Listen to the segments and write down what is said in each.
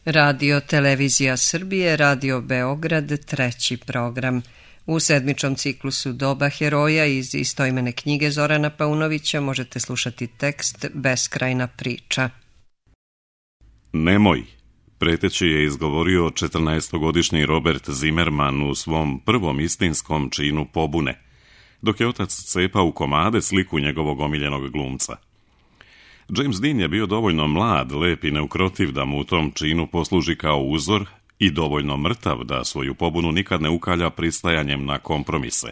Radio Televizija Srbije, Radio Beograd, treći program. U sedmičnom ciklusu Doba heroja iz istoimene knjige Zorana Paunovića možete slušati tekst Beskrajna priča. Nemoj, preteći je izgovorio 14-godišnji Robert Zimmerman u svom prvom istinskom činu pobune, dok je otac cepao u komade sliku njegovog omiljenog glumca. James Dean je bio dovoljno mlad, lep i neukrotiv da mu u tom činu posluži kao uzor i dovoljno mrtav da svoju pobunu nikad ne ukalja pristajanjem na kompromise.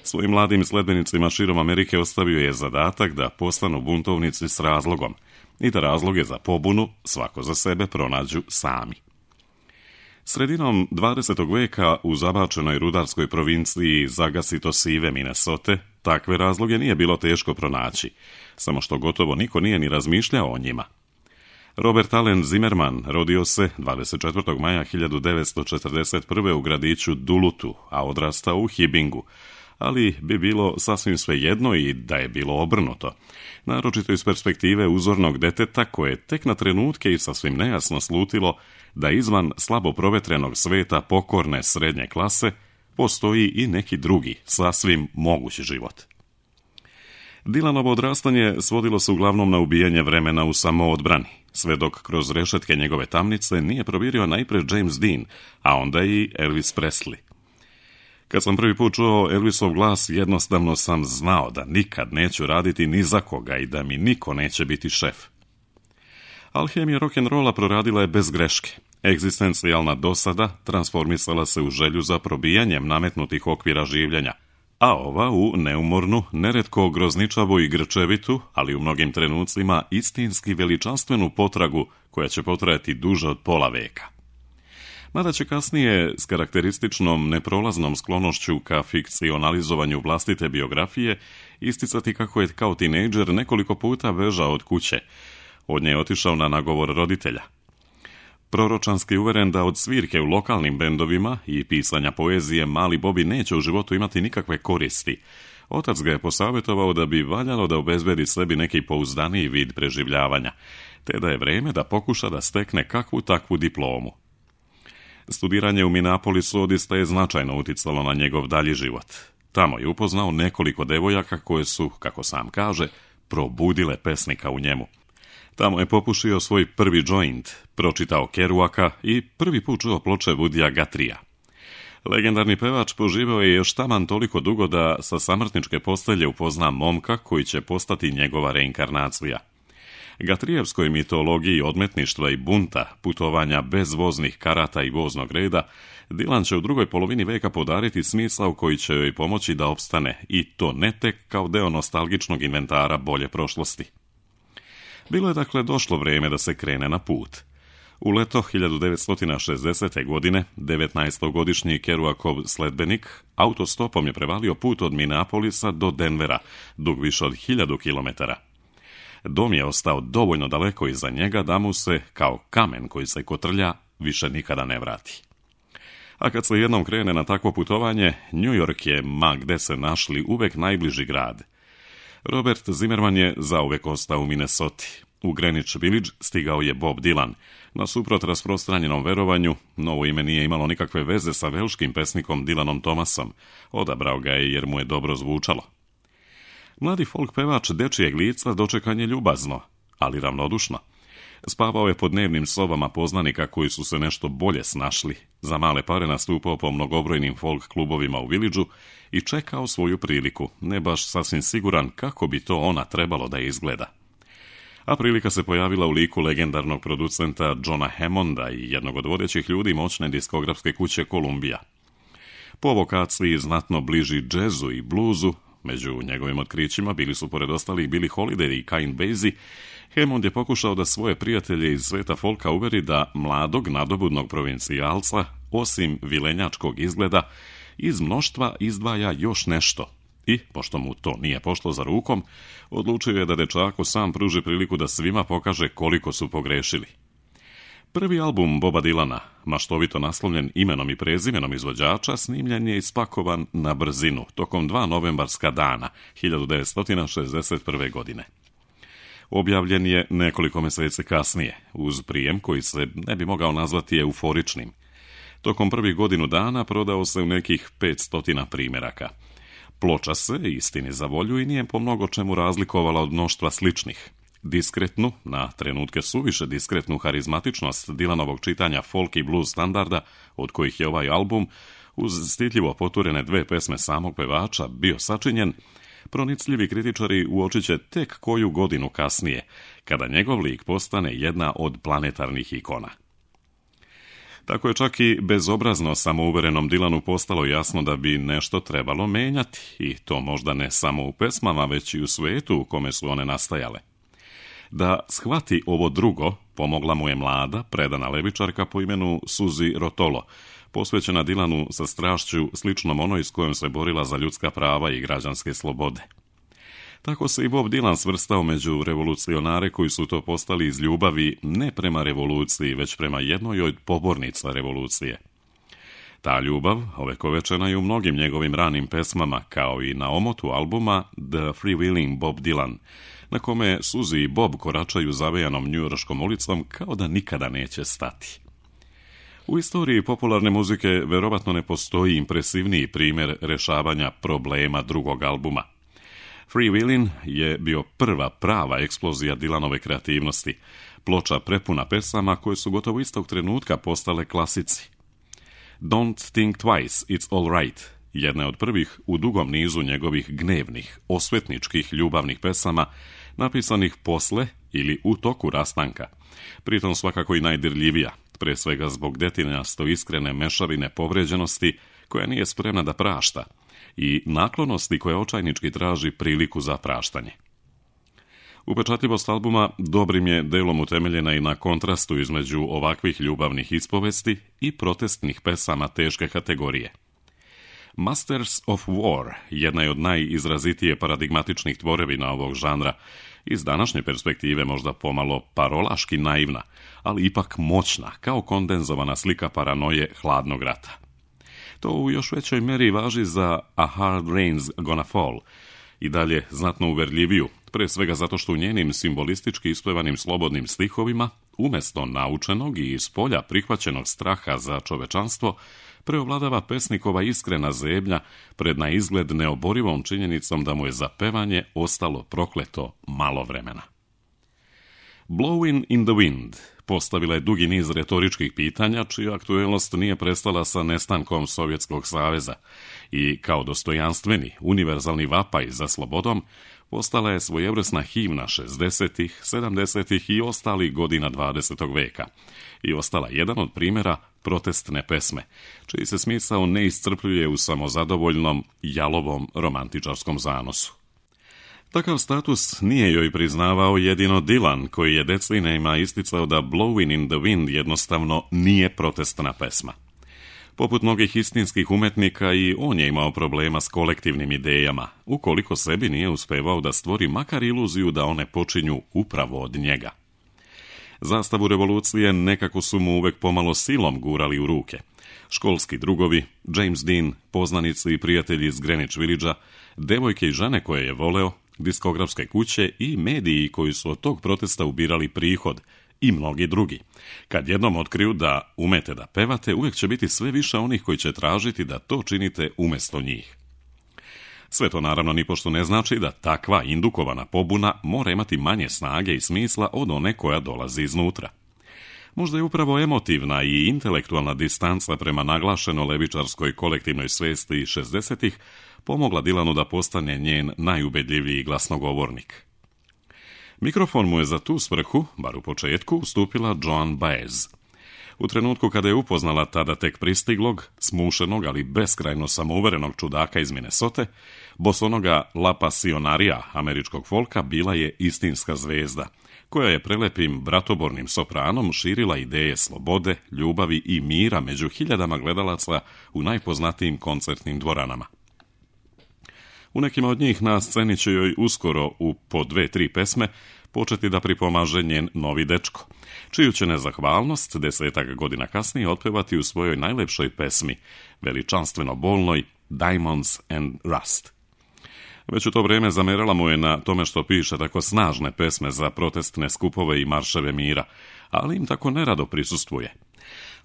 Svojim mladim sledbenicima širom Amerike ostavio je zadatak da postanu buntovnici s razlogom i da razloge za pobunu svako za sebe pronađu sami. Sredinom 20. veka u zabačenoj rudarskoj provinciji zagasito sive Minnesota takve razloge nije bilo teško pronaći, samo što gotovo niko nije ni razmišljao o njima. Robert Allen Zimmerman rodio se 24. maja 1941. u gradiću Dulutu, a odrastao u Hibbingu, ali bi bilo sasvim svejedno i da je bilo obrnuto, naročito iz perspektive uzornog deteta koje tek na trenutke i sasvim nejasno slutilo da izvan slabo provetrenog sveta pokorne srednje klase postoji i neki drugi, sasvim mogući život. Dylanovo odrastanje svodilo se uglavnom na ubijanje vremena u samoodbrani, sve dok kroz rešetke njegove tamnice nije provirio najpre James Dean, a onda i Elvis Presley. Kad sam prvi put čuo Elvisov glas, jednostavno sam znao da nikad neću raditi ni za koga i da mi niko neće biti šef. Alhemija rock'n'rolla proradila je bez greške. Egzistencijalna dosada transformisala se u želju za probijanjem nametnutih okvira življenja, a ova u neumornu, neretko grozničavu i grčevitu, ali u mnogim trenucima istinski veličanstvenu potragu koja će potrajati duže od pola veka. Mada će kasnije s karakterističnom neprolaznom sklonošću ka fikcionalizovanju vlastite biografije isticati kako je kao tinejdžer nekoliko puta bežao od kuće. Od nje je otišao na nagovor roditelja. Proročanski uveren da od svirke u lokalnim bendovima i pisanja poezije mali Bobby neće u životu imati nikakve koristi, otac ga je posavjetovao da bi valjalo da obezbedi sebi neki pouzdaniji vid preživljavanja, te da je vreme da pokuša da stekne kakvu takvu diplomu. Studiranje u Minneapolisu odista je značajno uticalo na njegov dalji život. Tamo je upoznao nekoliko devojaka koje su, kako sam kaže, probudile pesnika u njemu. Tamo je popušio svoj prvi joint, pročitao Kerouaka i prvi put čuo ploče Woodya Guthrieja. Legendarni pevač poživao je još taman toliko dugo da sa samrtničke postelje upozna momka koji će postati njegova reinkarnacija. Guthrieevskoj mitologiji odmetništva i bunta, putovanja bez voznih karata i voznog reda, Dylan će u drugoj polovini veka podariti smisao koji će joj pomoći da opstane, i to ne tek kao deo nostalgičnog inventara bolje prošlosti. Bilo je dakle došlo vrijeme da se krene na put. U leto 1960. godine 19-godišnji Kerouakov sledbenik autostopom je prevalio put od Minneapolisa do Denvera, dug više od 1000 kilometara. Dom je ostao dovoljno daleko iza njega da mu se, kao kamen koji se kotrlja, više nikada ne vrati. A kad se jednom krene na takvo putovanje, New York je, ma gde se našli, uvek najbliži grad. Robert Zimmerman je zauvek ostao u Minnesoti. U Greenwich Village stigao je Bob Dylan. Nasuprot rasprostranjenom verovanju, novo ime nije imalo nikakve veze sa velškim pesnikom Dylanom Thomasom. Odabrao ga je jer mu je dobro zvučalo. Mladi folk pevač dečijeg lica dočekan je ljubazno, ali ravnodušno. Spavao je po dnevnim sobama poznanika koji su se nešto bolje snašli, za male pare nastupao po mnogobrojnim folk klubovima u Villageu i čekao svoju priliku, ne baš sasvim siguran kako bi to ona trebalo da izgleda. A prilika se pojavila u liku legendarnog producenta Johna Hammonda i jednog od vodećih ljudi moćne diskografske kuće Columbia. Po vokaciji znatno bliži džezu i bluzu, među njegovim otkrićima bili su pored ostalih Billie Holiday i Count Basie, Hammond je pokušao da svoje prijatelje iz sveta folka uveri da mladog nadobudnog provincijalca, osim vilenjačkog izgleda, iz mnoštva izdvaja još nešto. I, pošto mu to nije pošlo za rukom, odlučio je da dečaku sam pruži priliku da svima pokaže koliko su pogrešili. Prvi album Boba Dylana, maštovito naslovljen imenom i prezimenom izvođača, snimljen je i spakovan na brzinu, tokom 2 novembarska dana, 1961. godine. Objavljen je nekoliko mjeseci kasnije, uz prijem koji se ne bi mogao nazvati euforičnim. Tokom prvih godinu dana prodao se u nekih 500 primjeraka. Ploča se, istini za volju, i nije po mnogo čemu razlikovala od mnoštva sličnih. Diskretnu, na trenutke suviše diskretnu harizmatičnost Dylanovog čitanja folk i blues standarda, od kojih je ovaj album, uz stidljivo poturene 2 pesme samog pevača, bio sačinjen, pronicljivi kritičari uočit će tek koju godinu kasnije, kada njegov lik postane jedna od planetarnih ikona. Tako je čak i bezobrazno samouverenom Dylanu postalo jasno da bi nešto trebalo menjati, i to možda ne samo u pesmama, već i u svetu u kome su one nastajale. Da shvati ovo drugo, pomogla mu je mlada, predana levičarka po imenu Suzy Rotolo, posvećena Dylanu sa strašću sličnom onoj s kojom se borila za ljudska prava i građanske slobode. Tako se i Bob Dylan svrstao među revolucionare koji su to postali iz ljubavi ne prema revoluciji, već prema jednoj od pobornica revolucije. Ta ljubav ovekovečena je u mnogim njegovim ranim pesmama, kao i na omotu albuma The Freewheeling Bob Dylan, na kome Suzy i Bob koračaju zavejanom njujorškom ulicom kao da nikada neće stati. U istoriji popularne muzike verovatno ne postoji impresivniji primjer rješavanja problema drugog albuma. Freewheelin' je bio prva prava eksplozija Dylanove kreativnosti, ploča prepuna pesama koje su gotovo istog trenutka postale klasici. Don't Think Twice, It's All Right, jedna je od prvih u dugom nizu njegovih gnevnih, osvetničkih ljubavnih pesama, napisanih posle ili u toku rastanka, pritom svakako i najdirljivija, pre svega zbog detinjasto iskrene mešavine povređenosti koja nije spremna da prašta i naklonosti koja očajnički traži priliku za praštanje. Upečatljivost albuma dobrim je delom utemeljena i na kontrastu između ovakvih ljubavnih ispovesti i protestnih pesama teške kategorije. Masters of War jedna je od najizrazitije paradigmatičnih tvorevina ovog žanra, iz današnje perspektive možda pomalo parolaški naivna, ali ipak moćna, kao kondenzovana slika paranoje hladnog rata. To u još većoj meri važi za A Hard Rain's Gonna Fall, i dalje znatno uverljiviju, pre svega zato što u njenim simbolistički ispevanim slobodnim stihovima, umjesto naučenog i iz polja prihvaćenog straha za čovečanstvo, preovladava pesnikova iskrena zebnja pred na izgled neoborivom činjenicom da mu je za pevanje ostalo prokleto malo vremena. Blowin' in the Wind postavila je dugi niz retoričkih pitanja, čija aktuelnost nije prestala sa nestankom Sovjetskog saveza i kao dostojanstveni, univerzalni vapaj za slobodom postala je svojevrsna himna 60-ih, 70-ih i ostalih godina 20. veka i ostala jedan od primjera protestne pesme, čiji se smisao ne iscrpljuje u samozadovoljnom, jalovom romantičarskom zanosu. Takav status nije joj priznavao jedino Dylan, koji je decenijama isticao da Blowin' in the Wind jednostavno nije protestna pesma. Poput mnogih istinskih umetnika, i on je imao problema s kolektivnim idejama, ukoliko sebi nije uspevao da stvori makar iluziju da one počinju upravo od njega. Zastavu revolucije nekako su mu uvek pomalo silom gurali u ruke. Školski drugovi, James Dean, poznanici i prijatelji iz Greenwich Villagea, devojke i žene koje je voleo, diskografske kuće i mediji koji su od tog protesta ubirali prihod, i mnogi drugi. Kad jednom otkriju da umete da pevate, uvijek će biti sve više onih koji će tražiti da to činite umjesto njih. Sve to naravno nipošto ne znači da takva indukovana pobuna mora imati manje snage i smisla od one koja dolazi iznutra. Možda je upravo emotivna i intelektualna distanca prema naglašeno levičarskoj kolektivnoj svesti 60-ih pomogla Dylanu da postane njen najubedljiviji glasnogovornik. Mikrofon mu je za tu svrhu, bar u početku, ustupila Joan Baez. U trenutku kada je upoznala tada tek pristiglog, smušenog, ali beskrajno samouverenog čudaka iz Minnesote, bosonoga La Pasionaria američkog folka bila je istinska zvezda, koja je prelepim bratobornim sopranom širila ideje slobode, ljubavi i mira među hiljadama gledalaca u najpoznatijim koncertnim dvoranama. U nekima od njih na sceni će joj uskoro u po 2-3 pesme početi da pripomaže njen novi dečko, čiju će nezahvalnost 10 godina kasnije otpevati u svojoj najlepšoj pesmi, veličanstveno bolnoj Diamonds and Rust. Već u to vrijeme zamerala mu je na tome što piše tako snažne pesme za protestne skupove i marševe mira, ali im tako nerado prisustvuje.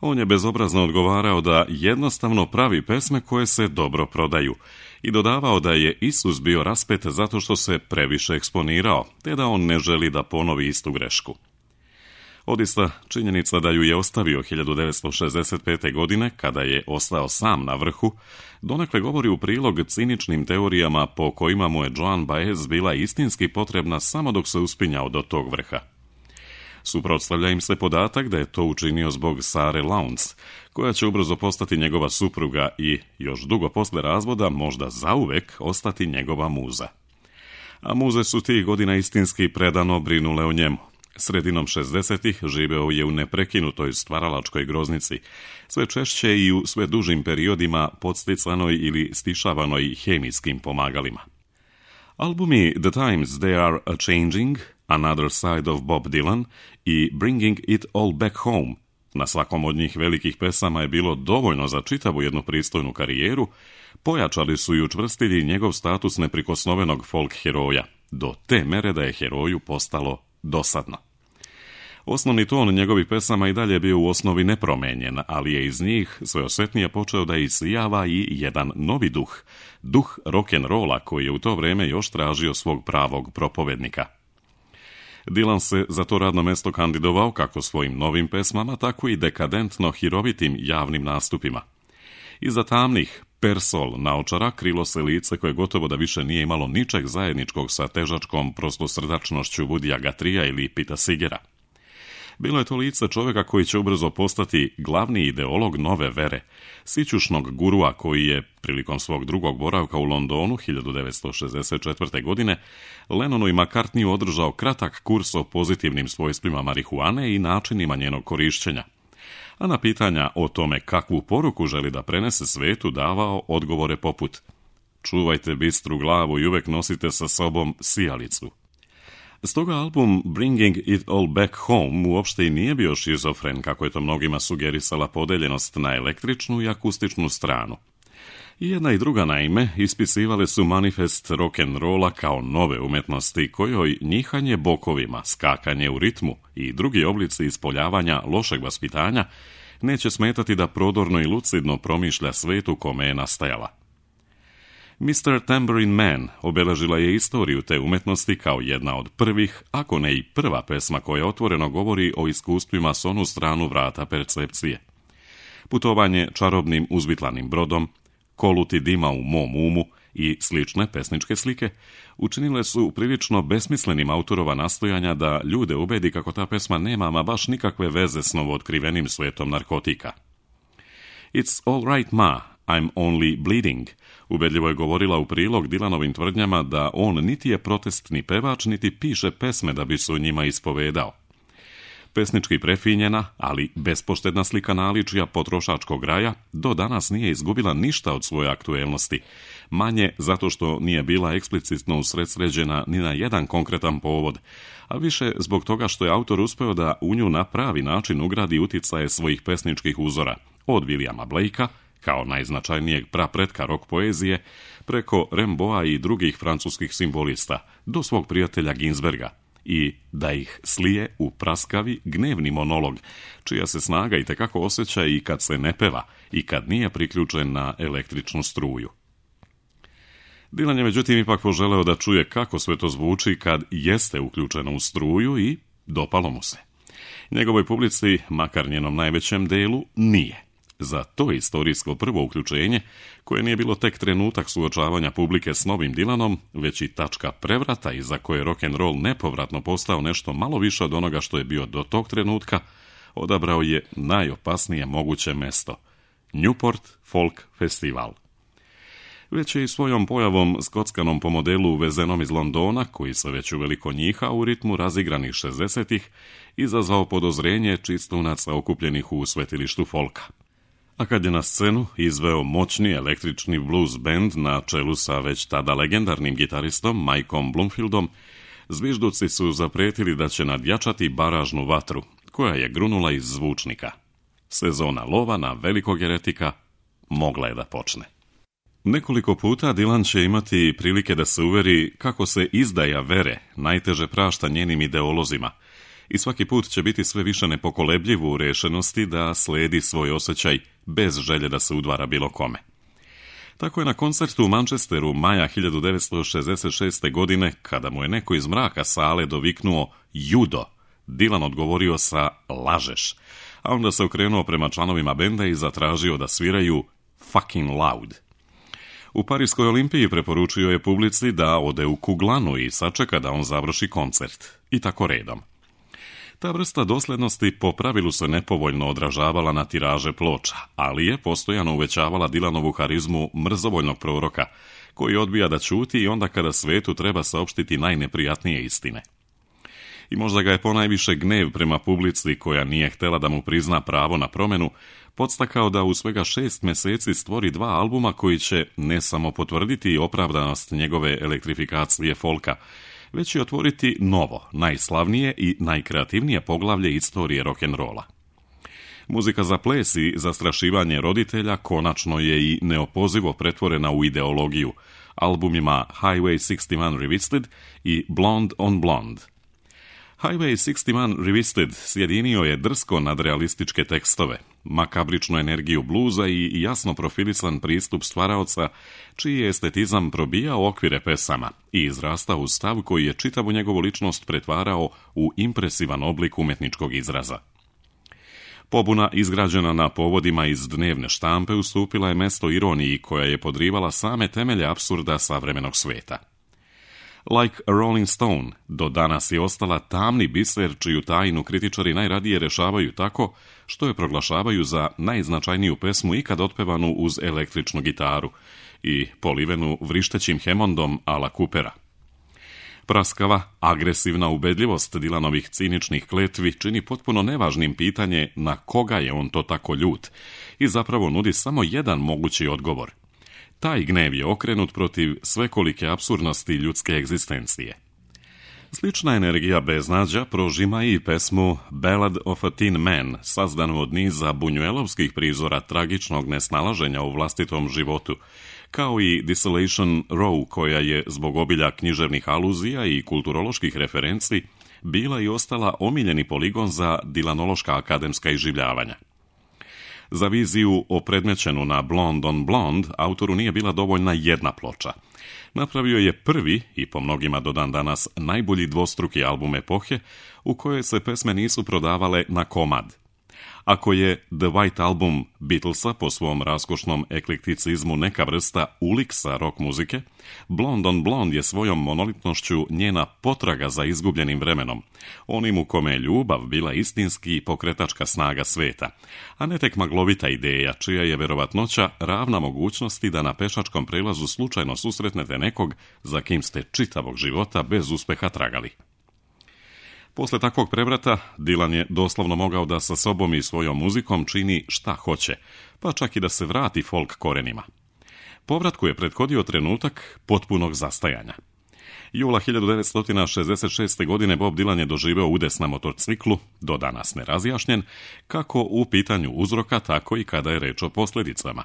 On je bezobrazno odgovarao da jednostavno pravi pesme koje se dobro prodaju i dodavao da je Isus bio raspet zato što se previše eksponirao, te da on ne želi da ponovi istu grešku. Odista, činjenica da ju je ostavio 1965. godine, kada je ostao sam na vrhu, donekle govori u prilog ciničnim teorijama po kojima mu je Joan Baez bila istinski potrebna samo dok se uspinjao do tog vrha. Suprotstavlja im se podatak da je to učinio zbog Sare Lowndes, koja će ubrzo postati njegova supruga i, još dugo posle razvoda, možda zauvek ostati njegova muza. A muze su tih godina istinski predano brinule o njemu. Sredinom 60-ih živeo je u neprekinutoj stvaralačkoj groznici, sve češće i u sve dužim periodima podsticanoj ili stišavanoj hemijskim pomagalima. Albumi The Times They Are A-Changing, Another Side of Bob Dylan i Bringing It All Back Home, na svakom od njih velikih pesama je bilo dovoljno za čitavu jednu pristojnu karijeru, pojačali su i učvrstili njegov status neprikosnovenog folk heroja, do te mere da je heroju postalo dosadno. Osnovni ton njegovih pesama i dalje bio u osnovi nepromenjen, ali je iz njih sve osjetnije počeo da isijava i jedan novi duh rock'n'rolla koji je u to vrijeme još tražio svog pravog propovednika. Dylan se za to radno mesto kandidovao kako svojim novim pesmama, tako i dekadentno hirovitim javnim nastupima. Iza tamnih persol naočara krilo se lice koje gotovo da više nije imalo ničeg zajedničkog sa težačkom prostosrdačnošću Woodya Guthrieja ili Pita Seegera. Bilo je to lice čovjeka koji će ubrzo postati glavni ideolog nove vere, sićušnog gurua koji je, prilikom svog drugog boravka u Londonu 1964. godine, Lennonu i McCartneyu održao kratak kurs o pozitivnim svojstvima marihuane i načinima njenog korišćenja. A na pitanja o tome kakvu poruku želi da prenese svetu davao odgovore poput: čuvajte bistru glavu i uvek nosite sa sobom sijalicu. Stoga album Bringing It All Back Home uopšte i nije bio šizofren, kako je to mnogima sugerisala podeljenost na električnu i akustičnu stranu. I jedna i druga, naime, ispisivale su manifest rock'n'rolla kao nove umetnosti kojoj njihanje bokovima, skakanje u ritmu i drugi oblici ispoljavanja lošeg vaspitanja neće smetati da prodorno i lucidno promišlja svet u kome je nastajala. Mr. Tambourine Man obeležila je istoriju te umetnosti kao jedna od prvih, ako ne i prva pesma koja otvoreno govori o iskustvima s onu stranu vrata percepcije. Putovanje čarobnim uzvitlanim brodom, Koluti dima u mom umu i slične pesničke slike učinile su prilično besmislenim autorova nastojanja da ljude ubedi kako ta pesma nema ama baš nikakve veze s novootkrivenim svetom narkotika. It's all right ma, I'm only bleeding, ubedljivo je govorila u prilog Dylanovim tvrdnjama da on niti je protestni pevač, niti piše pesme da bi se u njima ispovedao. Pesnički prefinjena, ali bespoštedna slika naličija potrošačkog raja do danas nije izgubila ništa od svoje aktuelnosti, manje zato što nije bila eksplicitno usredsređena ni na jedan konkretan povod, a više zbog toga što je autor uspeo da u nju na pravi način ugradi uticaje svojih pesničkih uzora, od Williama Blakea, kao najznačajnijeg prapretka rock poezije, preko Rimbaуда i drugih francuskih simbolista, do svog prijatelja Ginsberga, i da ih slije u praskavi gnevni monolog, čija se snaga itekako osjeća i kad se ne peva i kad nije priključen na električnu struju. Dylan je međutim ipak poželeo da čuje kako sve to zvuči kad jeste uključeno u struju i dopalo mu se. Njegovoj publici, makar njenom najvećem delu, nije. Za to istorijsko prvo uključenje, koje nije bilo tek trenutak suočavanja publike s novim Dylanom, već i tačka prevrata iza koje rock'n'roll nepovratno postao nešto malo više od onoga što je bio do tog trenutka, odabrao je najopasnije moguće mesto – Newport Folk Festival. Već je i svojom pojavom skockanom po modelu uvezenom iz Londona, koji se već uveliko njiha u ritmu razigranih 60-ih, izazvao podozrenje čistunaca okupljenih u svetilištu folka. A kad je na scenu izveo moćni električni blues band na čelu sa već tada legendarnim gitaristom Mikeom Bloomfieldom, zvižduci su zapretili da će nadjačati baražnu vatru, koja je grunula iz zvučnika. Sezona lova na velikog eretika mogla je da počne. Nekoliko puta Dylan će imati prilike da se uveri kako se izdaja vere najteže prašta njenim ideolozima i svaki put će biti sve više nepokolebljiv u rešenosti da sledi svoj osjećaj bez želje da se udvara bilo kome. Tako je na koncertu u Manchesteru maja 1966. godine, kada mu je neko iz mraka sale doviknuo Judo, Dylan odgovorio sa lažeš, a onda se okrenuo prema članovima benda i zatražio da sviraju fucking loud. U Parijskoj olimpiji preporučio je publici da ode u kuglanu i sačeka da on završi koncert. I tako redom. Ta vrsta doslednosti po pravilu se nepovoljno odražavala na tiraže ploča, ali je postojano uvećavala Dylanovu harizmu mrzovoljnog proroka, koji odbija da ćuti i onda kada svetu treba saopštiti najneprijatnije istine. I možda ga je ponajviše gnev prema publici koja nije htela da mu prizna pravo na promenu, podstakao da u svega 6 meseci stvori 2 albuma koji će ne samo potvrditi opravdanost njegove elektrifikacije folka, već i otvoriti novo, najslavnije i najkreativnije poglavlje istorije rock'n'rolla. Muzika za ples i zastrašivanje roditelja konačno je i neopozivo pretvorena u ideologiju, albumima Highway 61 Revisited i Blonde on Blonde. Highway 61 Revisited sjedinio je drsko nadrealističke tekstove, makabričnu energiju bluza i jasno profilisan pristup stvaraoca, čiji je estetizam probijao okvire pesama i izrastao u stav koji je čitavu njegovu ličnost pretvarao u impresivan oblik umetničkog izraza. Pobuna izgrađena na povodima iz dnevne štampe ustupila je mesto ironiji koja je podrivala same temelje apsurda savremenog sveta. Like a Rolling Stone, do danas je ostala tamni biser čiju tajnu kritičari najradije rešavaju tako što je proglašavaju za najznačajniju pesmu ikad otpevanu uz električnu gitaru i polivenu vrištećim hemondom a la Coopera. Praskava, agresivna ubedljivost Dylanovih ciničnih kletvi čini potpuno nevažnim pitanje na koga je on to tako ljut i zapravo nudi samo jedan mogući odgovor. Taj gnev je okrenut protiv svekolike apsurdnosti ljudske egzistencije. Slična energija beznađa prožima i pesmu Ballad of a Tin Man, sazdanu od niza bunjuelovskih prizora tragičnog nesnalaženja u vlastitom životu, kao i Desolation Row, koja je zbog obilja književnih aluzija i kulturoloških referenci bila i ostala omiljeni poligon za dylanološka akademska iživljavanja. Za viziju opredmećenu na Blonde on Blonde autoru nije bila dovoljna jedna ploča. Napravio je prvi i po mnogima do dan danas najbolji dvostruki album epohe u kojoj se pesme nisu prodavale na komad. Ako je The White Album Beatlesa po svom raskošnom eklekticizmu neka vrsta uliksa rock muzike, Blonde on Blonde je svojom monolitnošću njena potraga za izgubljenim vremenom, onim u kome je ljubav bila istinski pokretačka snaga sveta, a ne tek maglovita ideja čija je verovatnoća ravna mogućnosti da na pešačkom prelazu slučajno susretnete nekog za kim ste čitavog života bez uspeha tragali. Posle takvog prevrata, Dylan je doslovno mogao da sa sobom i svojom muzikom čini šta hoće, pa čak i da se vrati folk korenima. Povratku je prethodio trenutak potpunog zastajanja. Jula 1966. godine Bob Dylan je doživeo udes na motorciklu, do danas nerazjašnjen, kako u pitanju uzroka, tako i kada je reč o posljedicama.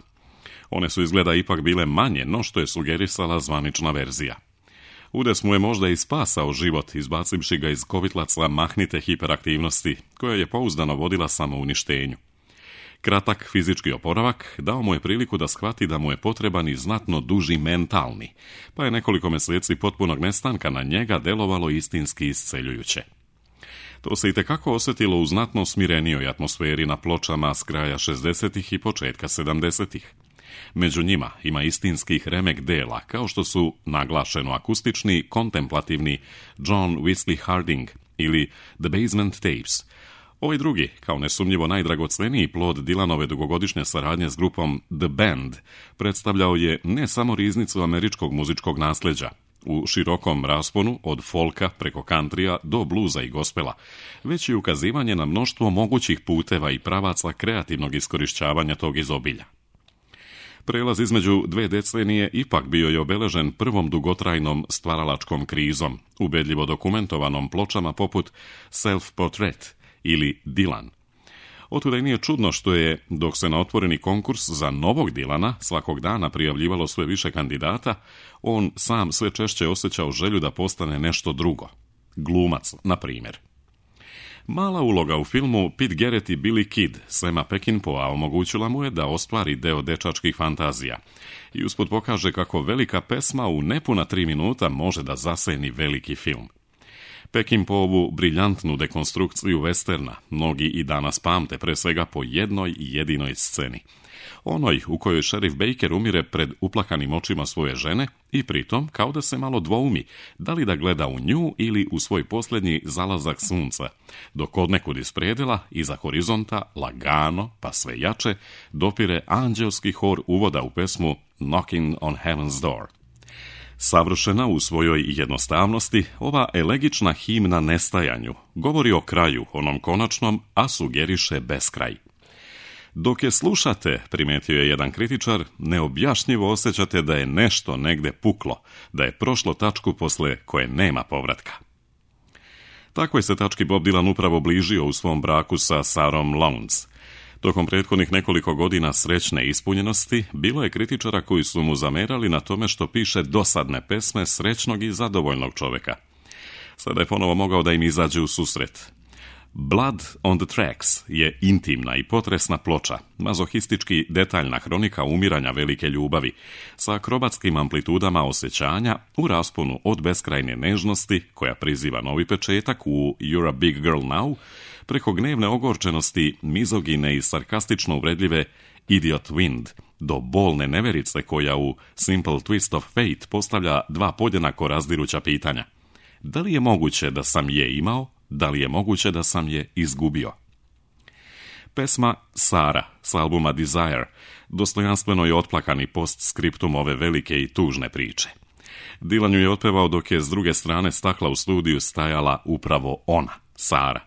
One su izgleda ipak bile manje, no što je sugerisala zvanična verzija. Udes mu je možda i spasao život, izbacivši ga iz kovitlaca mahnite hiperaktivnosti, koja je pouzdano vodila samouništenju. Kratak fizički oporavak dao mu je priliku da shvati da mu je potreban i znatno duži mentalni, pa je nekoliko meseci potpunog nestanka na njega delovalo istinski isceljujuće. To se itekako osjetilo u znatno smirenijoj atmosferi na pločama s kraja 60-ih i početka 70-ih. Među njima ima istinskih remek dela, kao što su naglašeno akustični, kontemplativni John Wesley Harding ili The Basement Tapes. Ovaj drugi, kao nesumnjivo najdragoceniji plod Dylanove dugogodišnje saradnje s grupom The Band, predstavljao je ne samo riznicu američkog muzičkog nasljeđa, u širokom rasponu od folka preko kantrija do bluza i gospela, već i ukazivanje na mnoštvo mogućih puteva i pravaca kreativnog iskorišćavanja tog izobilja. Prelaz između 2 decenije ipak bio je obeležen prvom dugotrajnom stvaralačkom krizom, ubedljivo dokumentovanom pločama poput Self-Portrait ili Dylan. Otuda i nije čudno što je, dok se na otvoreni konkurs za novog Dylana svakog dana prijavljivalo sve više kandidata, on sam sve češće osjećao želju da postane nešto drugo. Glumac, na primjer. Mala uloga u filmu Pete Garrett i Billy Kid Sama Peckinpah omogućila mu je da ostvari deo dečačkih fantazija i usput pokaže kako velika pesma u nepuna 3 minuta može da zaseni veliki film. Peckinpahovu briljantnu dekonstrukciju westerna mnogi i danas pamte pre svega po jednoj jedinoj sceni. Onoj u kojoj šerif Baker umire pred uplakanim očima svoje žene i pritom kao da se malo dvoumi da li da gleda u nju ili u svoj posljednji zalazak sunca, dok odnekud iz predela, iza horizonta, lagano, pa sve jače, dopire anđelski hor uvoda u pesmu Knocking on Heaven's Door. Savršena u svojoj jednostavnosti, ova elegična himna nestajanju govori o kraju, onom konačnom, a sugeriše beskraj. Dok je slušate, primetio je jedan kritičar, neobjašnjivo osjećate da je nešto negde puklo, da je prošlo tačku posle koje nema povratka. Takvoj se tački Bob Dylan upravo bližio u svom braku sa Sarom Lowndes. Tokom prethodnih nekoliko godina srećne ispunjenosti, bilo je kritičara koji su mu zamerali na tome što piše dosadne pesme srećnog i zadovoljnog čoveka. Sada je ponovo mogao da im izađe u susret. Blood on the Tracks je intimna i potresna ploča, mazohistički detaljna hronika umiranja velike ljubavi, sa akrobatskim amplitudama osjećanja u rasponu od beskrajne nežnosti, koja priziva novi početak u You're a Big Girl Now, preko gnevne ogorčenosti, mizogine i sarkastično uvredljive Idiot Wind, do bolne neverice koja u Simple Twist of Fate postavlja dva podjednako razdiruća pitanja. Da li je moguće da sam je imao? Da li je moguće da sam je izgubio? Pesma Sara s albuma Desire dostojanstveno je otplakani postskriptum ove velike i tužne priče. Dylan ju je otpevao dok je s druge strane stakla u studiju stajala upravo ona, Sara.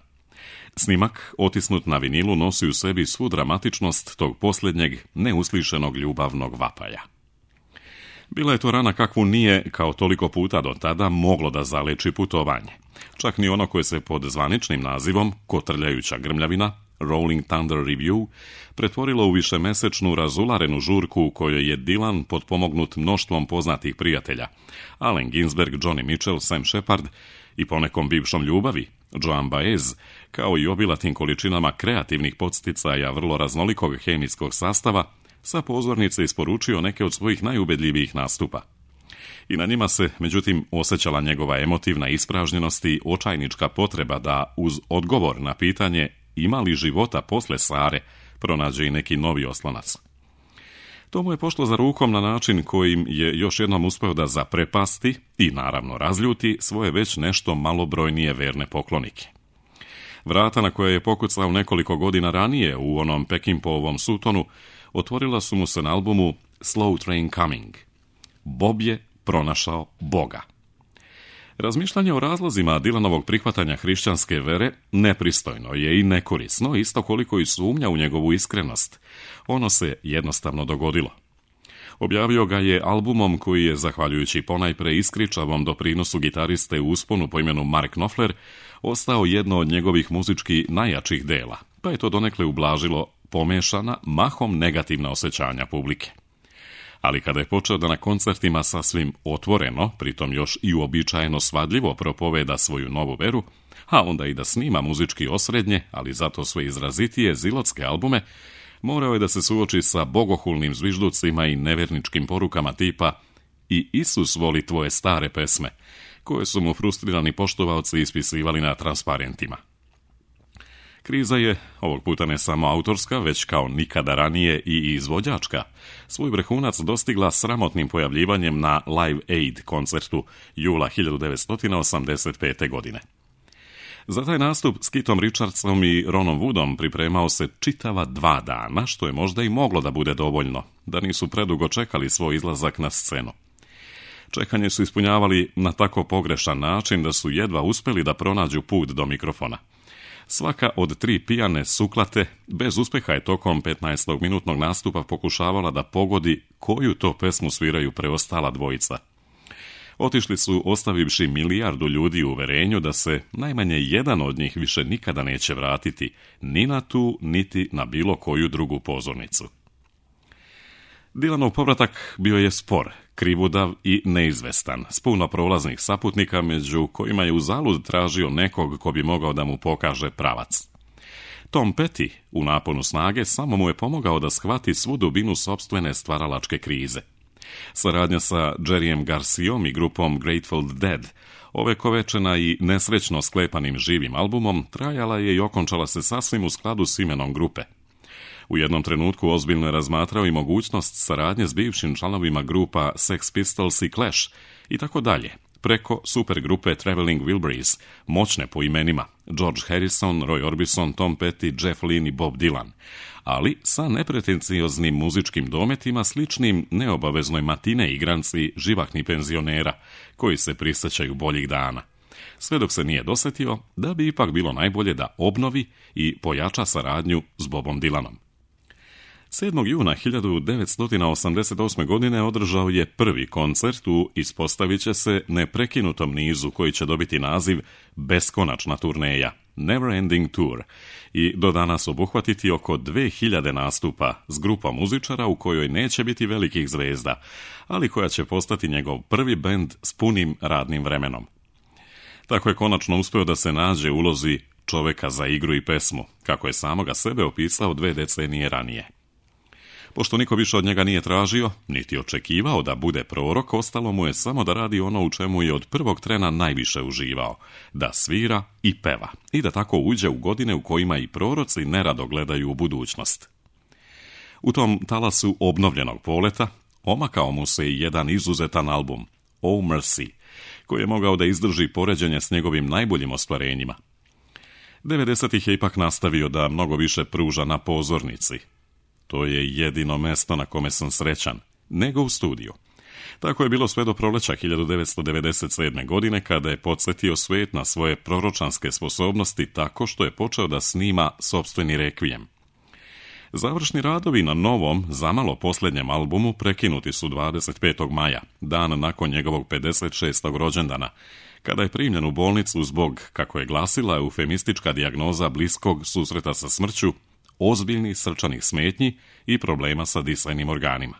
Snimak, otisnut na vinilu, nosi u sebi svu dramatičnost tog posljednjeg, neuslišenog ljubavnog vapaja. Bila je to rana kakvu nije, kao toliko puta do tada, moglo da zaleči putovanje. Čak ni ono koje se pod zvaničnim nazivom Kotrljajuća grmljavina, Rolling Thunder Review, pretvorilo u višemesečnu razularenu žurku u kojoj je Dylan potpomognut mnoštvom poznatih prijatelja, Allen Ginsberg, Johnny Mitchell, Sam Shepard i ponekom bivšom ljubavi, Joan Baez, kao i obilatim količinama kreativnih podsticaja vrlo raznolikog hemijskog sastava, sa pozornice isporučio neke od svojih najubedljivijih nastupa. I na njima se, međutim, osjećala njegova emotivna ispražnjenost i očajnička potreba da, uz odgovor na pitanje ima li života posle Sare, pronađe i neki novi oslonac. To mu je pošlo za rukom na način kojim je još jednom uspeo da zaprepasti i, naravno, razljuti svoje već nešto malobrojnije verne poklonike. Vrata na koje je pokucao nekoliko godina ranije u onom Peckinpahovom Sutonu otvorila su mu se na albumu Slow Train Coming. Bob je pronašao Boga. Razmišljanje o razlozima Dylanovog prihvatanja hrišćanske vere nepristojno je i nekorisno, isto koliko i sumnja u njegovu iskrenost. Ono se jednostavno dogodilo. Objavio ga je albumom koji je, zahvaljujući ponajpre iskričavom doprinosu gitariste u usponu po imenu Mark Knopfler, ostao jedno od njegovih muzički najjačih dela, pa je to donekle ublažilo pomešana, mahom negativna osjećanja publike. Ali kada je počeo da na koncertima sasvim otvoreno, pritom još i uobičajeno svadljivo propoveda svoju novu veru, a onda i da snima muzički osrednje, ali zato sve izrazitije zilotske albume, morao je da se suoči sa bogohulnim zvižducima i neverničkim porukama tipa "I Isus voli tvoje stare pesme", koje su mu frustrirani poštovaoci ispisivali na transparentima. Kriza je, ovog puta ne samo autorska, već kao nikada ranije i izvođačka, svoj vrhunac dostigla sramotnim pojavljivanjem na Live Aid koncertu jula 1985. godine. Za taj nastup s Keithom Richardsom i Ronom Woodom pripremao se čitava 2 dana, što je možda i moglo da bude dovoljno, da nisu predugo čekali svoj izlazak na scenu. Čekanje su ispunjavali na tako pogrešan način da su jedva uspeli da pronađu put do mikrofona. Svaka od 3 pijane suklate bez uspeha je tokom 15-minutnog nastupa pokušavala da pogodi koju to pesmu sviraju preostala dvojica. Otišli su ostavivši milijardu ljudi u uverenju da se najmanje jedan od njih više nikada neće vratiti ni na tu, niti na bilo koju drugu pozornicu. Dylanov povratak bio je spor, krivudav i neizvestan, s puno prolaznih saputnika među kojima je uzalud tražio nekog ko bi mogao da mu pokaže pravac. Tom Petty u naponu snage samo mu je pomogao da shvati svu dubinu sopstvene stvaralačke krize. Saradnja sa Jerryem Garcijom i grupom Grateful Dead, ovekovečena i nesrećno sklepanim živim albumom, trajala je i okončala se sasvim u skladu s imenom grupe. U jednom trenutku ozbiljno je razmatrao i mogućnost saradnje s bivšim članovima grupa Sex Pistols i Clash i tako dalje, preko supergrupe Traveling Wilburys, moćne po imenima George Harrison, Roy Orbison, Tom Petty, Jeff Lynne i Bob Dylan, ali sa nepretencioznim muzičkim dometima sličnim neobaveznoj matine igranci živahnih penzionera koji se prisjećaju boljih dana. Sve dok se nije dosetio da bi ipak bilo najbolje da obnovi i pojača saradnju s Bobom Dylanom. 7. juna 1988. godine održao je prvi koncert u, ispostavit će se, neprekinutom nizu koji će dobiti naziv Beskonačna turneja, Never Ending Tour, i do danas obuhvatiti oko 2000 nastupa s grupom muzičara u kojoj neće biti velikih zvezda, ali koja će postati njegov prvi bend s punim radnim vremenom. Tako je konačno uspeo da se nađe u ulozi čoveka za igru i pesmu, kako je samoga sebe opisao 2 decenije ranije. Pošto niko više od njega nije tražio, niti očekivao da bude prorok, ostalo mu je samo da radi ono u čemu je od prvog trena najviše uživao, da svira i peva, i da tako uđe u godine u kojima i proroci nerado gledaju u budućnost. U tom talasu obnovljenog poleta omakao mu se i jedan izuzetan album, Oh Mercy, koji je mogao da izdrži poređenje s njegovim najboljim ostvarenjima. 90-ih je ipak nastavio da mnogo više pruža na pozornici. To je jedino mesto na kome sam srećan, nego u studiju. Tako je bilo sve do proleća 1997. godine, kada je podsjetio svijet na svoje proročanske sposobnosti tako što je počeo da snima sopstveni rekvijem. Završni radovi na novom, zamalo posljednjem albumu prekinuti su 25. maja, dan nakon njegovog 56. rođendana, kada je primljen u bolnicu zbog, kako je glasila eufemistička dijagnoza bliskog susreta sa smrću, ozbiljnih srčanih smetnji i problema sa disajnim organima.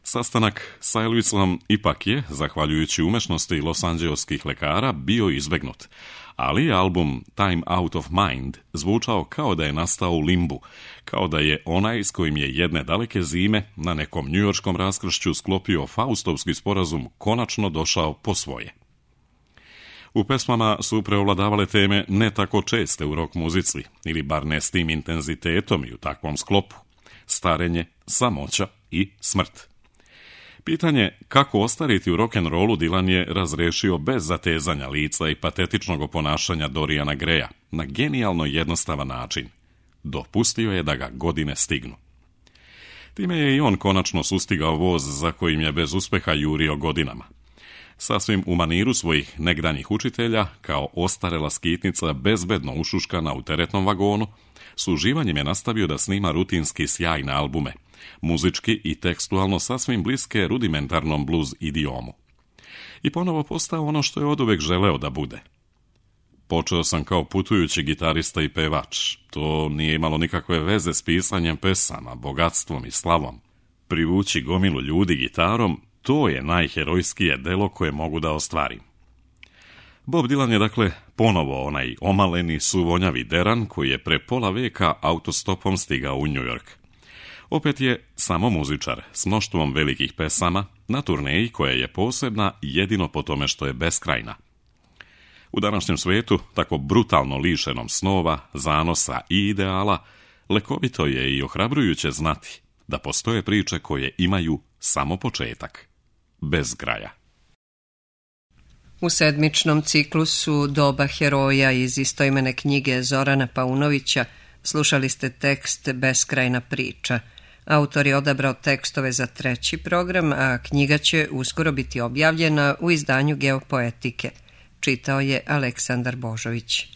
Sastanak s Elvisom ipak je, zahvaljujući umešnosti losanđeoskih lekara, bio izbegnut, ali je album Time Out of Mind zvučao kao da je nastao u limbu, kao da je onaj s kojim je jedne daleke zime na nekom njujorškom raskršću sklopio Faustovski sporazum konačno došao po svoje. U pesmama su preovladavale teme ne tako česte u rock muzici, ili bar ne s tim intenzitetom i u takvom sklopu: starenje, samoća i smrt. Pitanje kako ostariti u rock'n'rollu Dylan je razrešio bez zatezanja lica i patetičnog oponašanja Doriana Greya na genijalno jednostavan način. Dopustio je da ga godine stignu. Time je i on konačno sustigao voz za kojim je bez uspeha jurio godinama. Sasvim u maniru svojih negdanjih učitelja, kao ostarela skitnica bezbedno ušuškana u teretnom vagonu, s uživanjem je nastavio da snima rutinski sjajne albume, muzički i tekstualno sasvim bliske rudimentarnom blues idiomu. I ponovo postao ono što je oduvek želeo da bude. Počeo sam kao putujući gitarista i pevač. To nije imalo nikakve veze s pisanjem pesama, bogatstvom i slavom. Privući gomilu ljudi gitarom, to je najherojskije delo koje mogu da ostvarim. Bob Dylan je dakle ponovo onaj omaleni, suvonjavi deran koji je pre pola veka autostopom stigao u New York. Opet je samo muzičar s mnoštvom velikih pesama na turneji koja je posebna jedino po tome što je beskrajna. U današnjem svijetu, tako brutalno lišenom snova, zanosa i ideala, lekovito je i ohrabrujuće znati da postoje priče koje imaju samo početak, bez kraja. U sedmičnom ciklusu Doba heroja iz istoimene knjige Zorana Paunovića slušali ste tekst Beskrajna priča. Autor je odabrao tekstove za 3. program, a knjiga će uskoro biti objavljena u izdanju Geopoetike. Čitao je Aleksandar Božović.